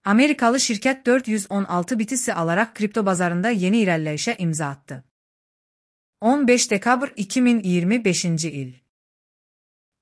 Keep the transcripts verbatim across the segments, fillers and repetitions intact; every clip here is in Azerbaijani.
Amerikalı şirkət dörd yüz on altı B T C alaraq kripto bazarında yeni irəliləyişə imza atdı. on beş dekabr iki min iyirmi beşinci il.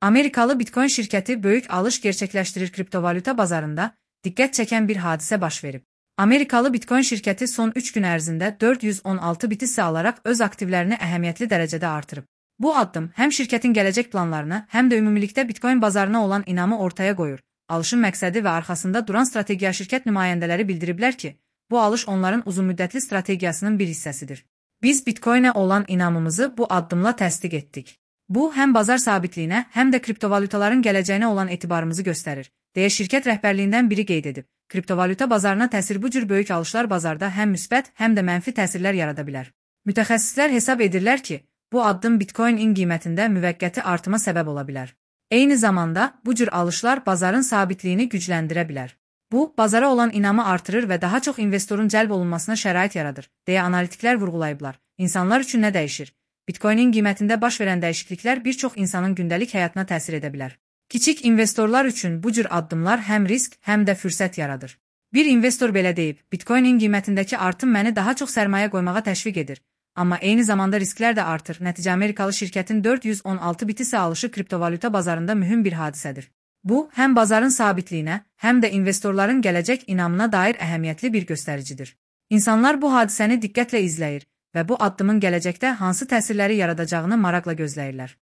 Amerikalı Bitcoin şirkəti böyük alış gerçəkləşdirir kriptovalyuta bazarında diqqət çəkən bir hadisə baş verib. Amerikalı Bitcoin şirkəti son üç gün ərzində dörd yüz on altı B T C alaraq öz aktivlərini əhəmiyyətli dərəcədə artırıb. Bu addım həm şirkətin gələcək planlarını, həm də ümumilikdə Bitcoin bazarına olan inamı ortaya qoyur. Alışın məqsədi və arxasında duran strategiya şirkət nümayəndələri bildiriblər ki, bu alış onların uzunmüddətli strategiyasının bir hissəsidir. Biz Bitcoinə olan inamımızı bu addımla təsdiq etdik. Bu, həm bazar sabitliyinə, həm də kriptovalyutaların gələcəyinə olan etibarımızı göstərir, deyə şirkət rəhbərliyindən biri qeyd edib. Kriptovalyuta bazarına təsir bu cür böyük alışlar bazarda həm müsbət, həm də mənfi təsirlər yarada bilər. Mütəxəssislər hesab edirlər ki, bu addım Bitcoin-in qiymətində müvəqqəti artıma səbəb ola bilər. Eyni zamanda, bu cür alışlar bazarın sabitliyini gücləndirə bilər. Bu, bazara olan inamı artırır və daha çox investorun cəlb olunmasına şərait yaradır, deyə analitiklər vurğulayıblar. İnsanlar üçün nə dəyişir? Bitcoin-in qiymətində baş verən dəyişikliklər bir çox insanın gündəlik həyatına təsir edə bilər. Kiçik investorlar üçün bu cür addımlar həm risk, həm də fürsət yaradır. Bir investor belə deyib, Bitcoin-in qiymətindəki artım məni daha çox sərmayə qoymağa təşviq edir. Amma eyni zamanda risklər də artır. Nəticə Amerikalı şirkətin dörd yüz on altı B T C alışı kriptovalyuta bazarında mühüm bir hadisədir. Bu, həm bazarın sabitliyinə, həm də investorların gələcək inamına dair əhəmiyyətli bir göstəricidir. İnsanlar bu hadisəni diqqətlə izləyir və bu addımın gələcəkdə hansı təsirləri yaradacağını maraqla gözləyirlər.